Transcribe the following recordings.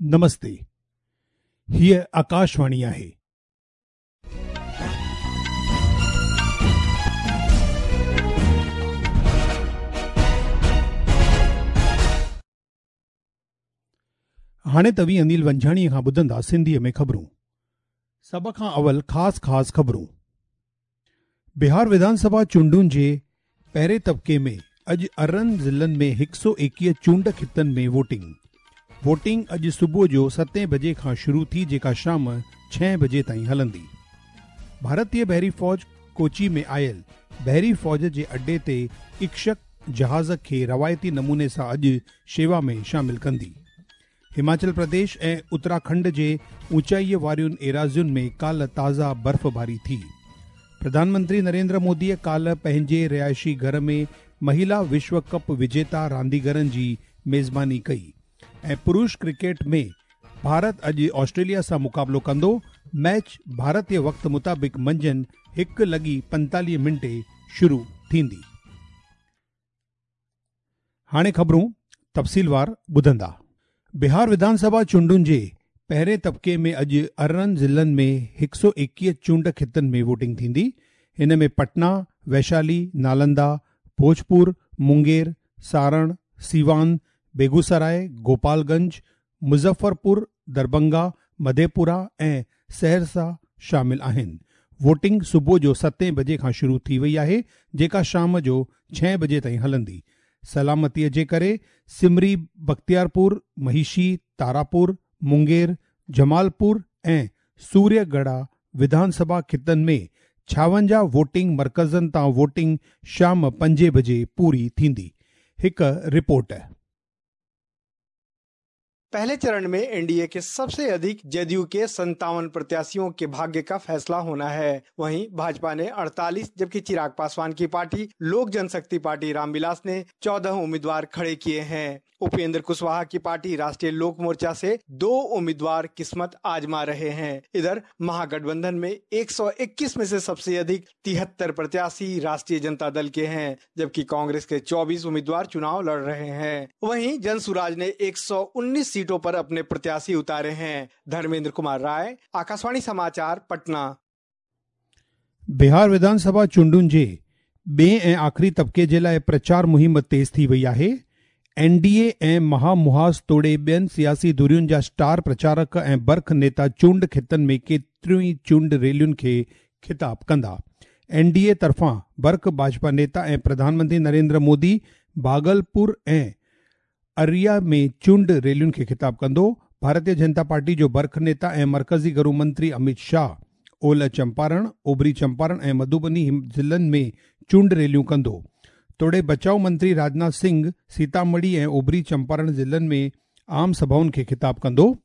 نمستي، هيء آڪاشواڻي آهي. هاڻي توهين انيل ونجهاڻيء کان ٻڌندا سنڌيء ۾ خبرون. سڀ کان اول خاص خاص خبرون. بهار وڌان سڀا چونڊن جي پهرين طبقي ۾ اڄ 18 ضلعن ۾ 121 چونڊ خطن ۾ ووٽنگ. ووٽنگ اڄ صبح جو ستين بجي کان شروع ٿي جيڪا شام ڇهين بجي تائين هلندي. ڀارتي بحري فوج ڪوچي ۾ آيل بحري فوج جي اڏي تي اڪشڪ جهاز کي روايتي نموني سان اڄ شيوا ۾ شامل ڪندي. هماچل پرديش ۽ اتراکنڊ جي اوچائيء وارين ايراضين ۾ ڪالهه تازا برفباري ٿي. پرڌان منتري نريندر موديء ڪالهه پنهنجي رهائشي گهر ۾ مهيلا وشو ڪپ وجيتا رانديگرن جي ميزباني ڪئي ۽ پرش ڪرڪيٽ ۾ ڀارت اڄ آسٽريليا سان مقابلو ڪندو، ميچ ڀارتي وقت مطابق منجهند 1:45 منٽي شروع ٿيندي. هاڻي خبرون تفصيلوار ٻڌندا. بهار وڌان سڀا چونڊن جي پهرين طبقي ۾ اڄ 18 ضلعن ۾ 121 چونڊ خطن ۾ ووٽنگ ٿيندي. هن ۾ پٽنا، ويشالي، نالندا، ڀوجپور، مونگير، سارڻ، سيوان، بيگوسراء، گوپال گنج، مظفرپور، دربنگا، مڌيپورا ۽ سهرسا شامل آهن. ووٽنگ صبح جو ستين بجي کان شروع ٿي وئي آهي جيڪا شام جو ڇهين بجي تائين هلندي. سلامتي جي ڪري سمري بختيارپور، مهيشي، تاراپور، مونگير، جمالپور ۽ سوريه ڳڙها وڌان سڀا خطن ۾ 56 ووٽنگ مرڪزن تان ووٽنگ شام پنجين بجي پوري ٿيندي. هڪ رپورٽ. पहले चरण में एनडीए के सबसे अधिक जदयू के 57 प्रत्याशियों के भाग्य का फैसला होना है। वहीं भाजपा ने 48 जबकि चिराग पासवान की पार्टी लोक जनशक्ति पार्टी रामविलास ने 14 उम्मीदवार खड़े किए हैं। उपेंद्र कुशवाहा की पार्टी राष्ट्रीय लोक मोर्चा से 2 उम्मीदवार किस्मत आजमा रहे हैं। इधर महागठबंधन में 121 में से सबसे अधिक 73 प्रत्याशी राष्ट्रीय जनता दल के हैं, जबकि कांग्रेस के 24 उम्मीदवार चुनाव लड़ रहे हैं। वहीं जन सुराज ने 119 सीटों पर अपने प्रत्याशी उतारे हैं। धर्मेंद्र कुमार राय, आकाशवाणी समाचार, पटना। बिहार विधानसभा चूंडुनि जे ॿिए ऐं आख़िरी तबक़े जे लाइ प्रचार मुहिम तेज़ थी वई आहे। एनडीए ऐं महामुहाज़ तोड़े ॿियनि सियासी धुरियुनि जा स्टार प्रचारक ऐं बर्ख नेता चूंड ख़ितनि में केतिरियूं ई चूंड रैलियुनि खे ख़िताब कंदा। एनडीए तरफ़ां बर्ख भाजपा नेता ऐं प्रधानमंत्री नरेंद्र मोदी भागलपुर ऐं अररिया में चूंड रैलियुनि खे ख़िताब कंदो। भारतीय जनता पार्टी जो बर्ख नेता ऐं मर्कज़ी गृह मंत्री अमित शाह ओलह चंपारण, ओभरी चंपारण ऐं मधुबनी ज़िलनि में चूंड रैलियूं कंदो। तोड़े बचाव मंत्री राजनाथ सिंह सीतामढ़ी ऐं ओभरी चंपारण ज़िलनि में आम सभाउनि खे ख़िताब कंदो।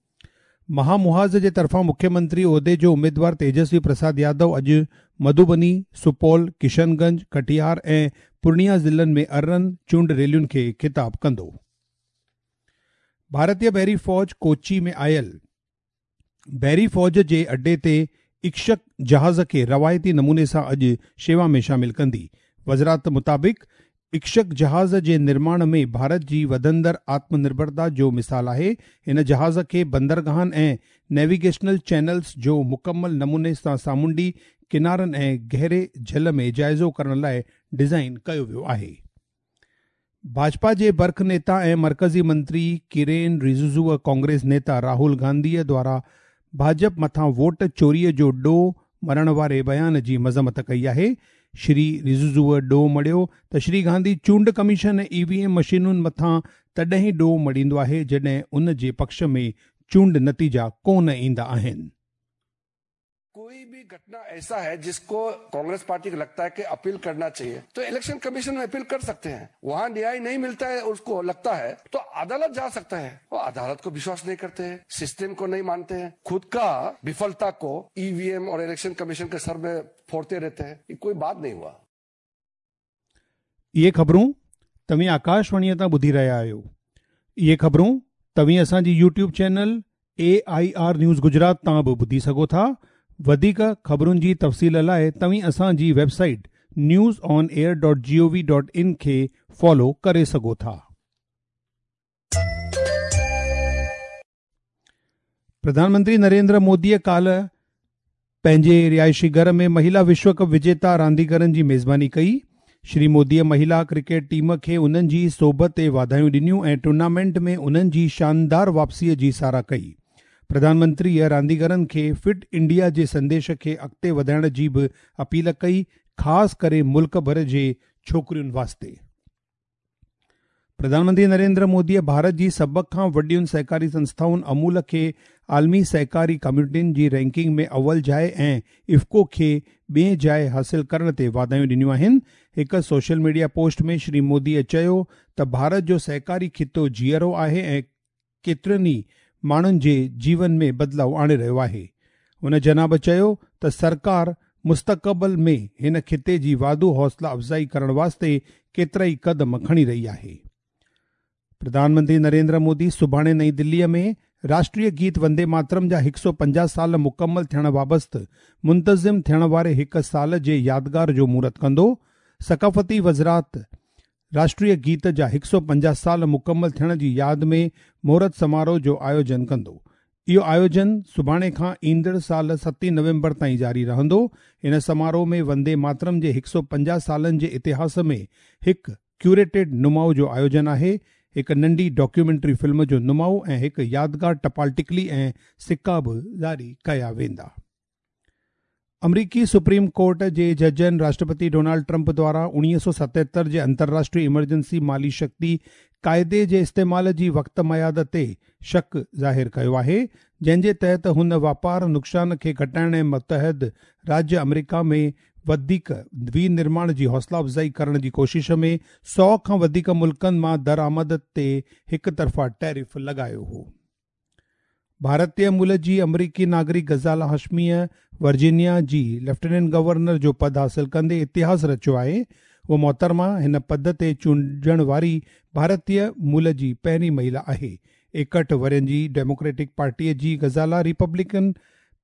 महामुहाज़ जे तरफ़ां मुख्यमंत्री उहिदे जो उमेदवार तेजस्वी प्रसाद यादव अॼु मधुबनी, सुपौल, किशनगंज, कटिहार ऐं पूर्णिया ज़िलनि में 18 चूंड रैलियुनि खे ख़िताब कंदो। भारतीय बहरी फ़ौज कोची में आयल बहरी फ़ौज जे अड्डे ते इक्षक जहाज़ खे रवायती नमूने सां अॼु शेवा में शामिल कंदी। वज़ारत मुताबिक़ इक्षक जहाज़ जे निर्माण में भारत जी वधंदड़ आत्मनिर्भरता जो मिसाल आहे। हिन जहाज़ खे बंदरगाहनि ऐं नेविगेशनल चैनल्स जो मुकमल नमूने सां सामुंडी किनारनि ऐं गहरे झल में जाइज़ो करण लाइ डिज़ाइन कयो वियो आहे। भाजपा जे बर्ख नेता ऐं मर्कज़ी मंत्री किरेन रिजिजू कांग्रेस नेता राहुल गांधीअ द्वारा भाजपा मथां वोट चोरीअ जो ॾोह मरण वारे बयान जी मज़म्मत कई आहे। श्री रिजिजूअ ॾोह मढ़ियो त श्री गांधी चूंड कमीशन ऐं ईवीएम मशीनुनि मथां तॾहिं ॾोह मढ़ींदो आहे जॾहिं उन जे पक्ष में चूंड नतीजा कोन ईंदा आहिनि। कोई भी घटना ऐसा है जिसको कांग्रेस पार्टी को लगता है कि अपील करना चाहिए तो इलेक्शन कमीशन में अपील कर सकते हैं। वहां न्याय नहीं मिलता है उसको लगता है तो अदालत जा सकता है। वो अदालत को विश्वास नहीं करते हैं, सिस्टम को नहीं मानते हैं, खुद का विफलता को ईवीएम और इलेक्शन कमीशन के सर में फोड़ते रहते हैं। ये कोई बात नहीं हुआ। इहे ख़बरूं तव्हीं आकाशवाणीअ तां ॿुधी रहिया आहियो। इहे ख़बरूं तव्हीं असांजी YouTube channel AIR news Gujarat तां बि ॿुधी सघो था। वधीक ख़बरुनि जी तफ़सील लाइ तव्हीं असांजी वेबसाइट newsonair.gov.in खे फॉलो करे सघो था। پرڌان منتري نريندر موديء ڪالهه پنهنجي رهائشي گهر ۾ مهيلا وشو ڪپ وجيتا رانديگرن جي ميزباني ڪئي. شري موديء مهيلا ڪرڪيٽ ٽيم کي انهن جي سوڀ تي واڌايون ڏنيون ۽ ٽورنامينٽ ۾ انهن جي شاندار واپسيء جي ساراهه ڪئي. پرڌان منتريء رانديگرن کي فٽ انڊيا جي سنديش کي اڳتي وڌائڻ جي به اپيل ڪئي، خاص ڪري ملڪ ڀر جي ڇوڪرين واسطي. پرڌان منتري نريندر موديء ڀارت جي سڀ کان وڏين سهڪاري سنسٿائن امول کي عالمي سهڪاري ڪميونٽين جي رينڪنگ ۾ اول جاء ۽ افڪو کي ٻئين جاء حاصل ڪرڻ تي واڌايون ڏنيون آهن. هڪ سوشل ميڊيا پوسٽ ۾ شري موديء چيو ته ڀارت جو سهڪاري خطو جيئرو آهي ۽ ڪيترن ئي ماڻهن جي جيون ۾ بدلاء آڻي رهيو آهي. هن جناب چيو ته سرڪار مستقبل ۾ هن خطي جي واڌو حوصلا افزائي ڪرڻ واسطي ڪيترائي قدم کڻي رهي آهي. پرڌان منتري نريندر مودي سڀاڻي نئين دليء ۾ راشٽريه گيت وندي ماترم جا 150 سال مڪمل ٿيڻ وابست منتظم ٿيڻ واري هڪ سال جي يادگار جو مهورت ڪندو. ثقافتي وزارت راشٽريه گيت جا 150 سال مڪمل ٿيڻ جي ياد ۾ مهورت سماروهه جو آيوجن ڪندو. اهو آيوجن سڀاڻي کان ايندڙ سال ستين نومبر تائين جاري رهندو. ان سماروهه ۾ وندي ماترم جي 150 سالن جي اتهاس ۾ هڪ ڪيوريٽيڊ نماء جو آيوجن آهي، هڪ ننڍي ڊاڪيومينٽري فلم جو نماء ۽ هڪ يادگار ٽپال ٽڪلي ۽ سڪا به جاري ڪيا ويندا. آمريڪي سپريم ڪورٽ جي ججن راشٽرپتي ڊونالڊ ٽرمپ دواران 1977 جي انترراشٽري ايمرجنسي مالي شڪتي قاعدي جي استعمال جي وقت ميعاد تي شڪ ظاهر ڪيو آهي جنهن جي تحت هن واپار نقصان کي گهٽائڻ ۽ متحد راجيه آمريڪا ۾ وڌيڪ ونرماڻ جي حوصلا افزائي ڪرڻ جي ڪوشش ۾ 100 کان وڌيڪ ملڪن مان درآمد تي هڪ طرفا ٽيرف لڳايو هو. ڀارتي مول جي آمريڪي ناگرڪ غزالا هاشميء ورجينيا جي ليفٽيننٽ گورنر جو پد حاصل ڪندي اتهاس رچيو آهي. هوء محترمه هن پد تي چونڊجڻ واري ڀارتي مول جي پهرين مهيلا آهي. 61 ورهين جي ڊيموڪريٽڪ پارٽيء جي غزالا ريپبلڪن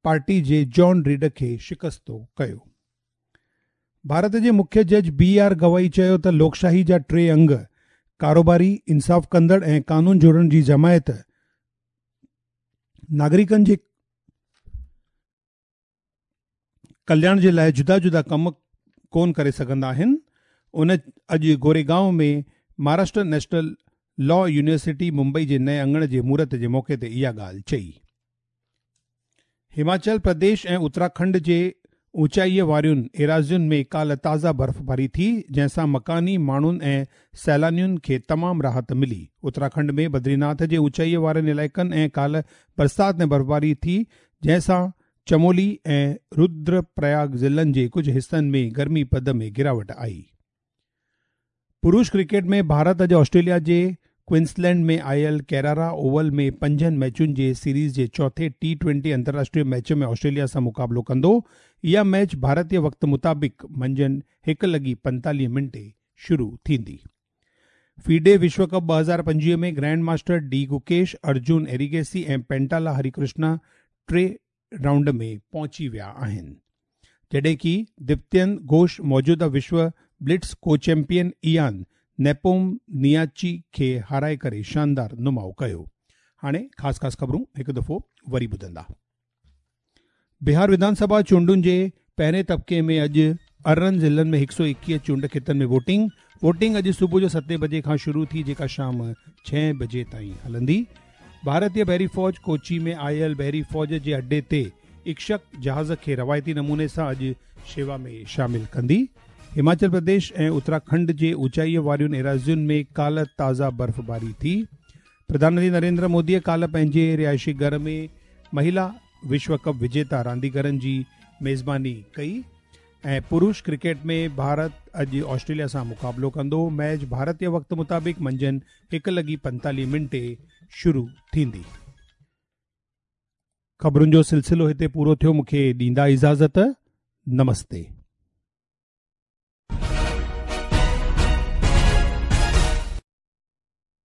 پارٽي جي جان ريڊ کي شڪستو ڪيو. ڀارت جي مکيه جج بي آر گوائي چيو ته لوڪشاهي جا ٽي انگ، ڪاروباري، انصاف ڪندڙ ۽ قانون جوڙڻ جي جماعت، ناگرڪن جي ڪلياڻ جي لاء جدا جدا ڪم ڪونه ڪري سگهندا آهن. ان اڄ Goregaon ۾ Maharashtra national law university Mumbai جي نئين اڱڻ جي مهورت جي موقعي تي اها ڳالهه چئي. هماچل پرديش ۽ اتراکنڊ جي اوچائيء وارين ايراضين ۾ ڪالهه تازا برفباري ٿي، جنهن سان مڪاني ماڻهن ۽ سيلانين کي تمام راحت ملي. اتراکنڊ ۾ بدريناٿ جي اوچائيء وارن علائقن ۽ ڪالهه برسات ۽ برفباري ٿي، جنهن سان چمولي ۽ رودرپرياگ ضلعن جي ڪجهه حصن ۾ گرمي پد ۾ گراوٽ آئي. پروش ڪرڪيٽ ۾ ڀارت اڄ آسٽريليا جي ڪوئنسلينڊ ۾ آيل ڪيرارا اوول ۾ پنجن ميچن جي سيريز جي چوٿين ٽي ٽوئنٽي انترراشٽريه ميچ ۾ آسٽريليا سان مقابلو ڪندو. اها ميچ ڀارتي وقت مطابق منجهند 1:45 منٽي شروع ٿيندي. فيڊي وشو ڪپ 2025 ۾ grand master D Gukesh, Arjun Erigaisi ۽ Pentala Harikrishna ٽي رائونڊ ۾ پهچي ويا آهن جڏهن ڪي دپتين گهوش موجوده وشو بلٽز ڪو چيمپيئن ايان نيپوم نياچي کي هارائي ڪري شاندار نماء ڪيو. هاڻي خاص خاص خبرون هڪ دفعو وري ٻڌندا. بهار وڌان سڀا چونڊن جي پهرين طبقي ۾ اڄ 18 ضلعن ۾ 121 چونڊ کيتن ۾ ووٽنگ، ووٽنگ اڄ صبح جو ستين بجي کان شروع ٿي جيڪا شام ڇهين بجي تائين هلندي. ڀارتي بحري فوج ڪوچي ۾ آيل بحري فوج جي اڏي تي اڪشڪ جهاز کي روايتي نموني سان اڄ شيوا ۾ شامل ڪندي. هماچل پرديش ۽ اتراکنڊ جي اوچائيء وارين ايراضين ۾ ڪالهه تازا برفباري ٿي. پرڌان منتري نريندر موديء ڪالهه پنهنجي رهائشي گهر ۾ مهيلا وشو ڪپ وجيتا رانديگرن جي ميزباني ڪئي ۽ پروش ڪرڪيٽ ۾ ڀارت اڄ آسٽريليا سان مقابلو ڪندو. ميچ ڀارتي وقت مطابق منجهند 1:45 شروع ٿيندي. خبرن جو سلسلو هتي پورو ٿيو مون کي ڏيندا اجازت. نمستي.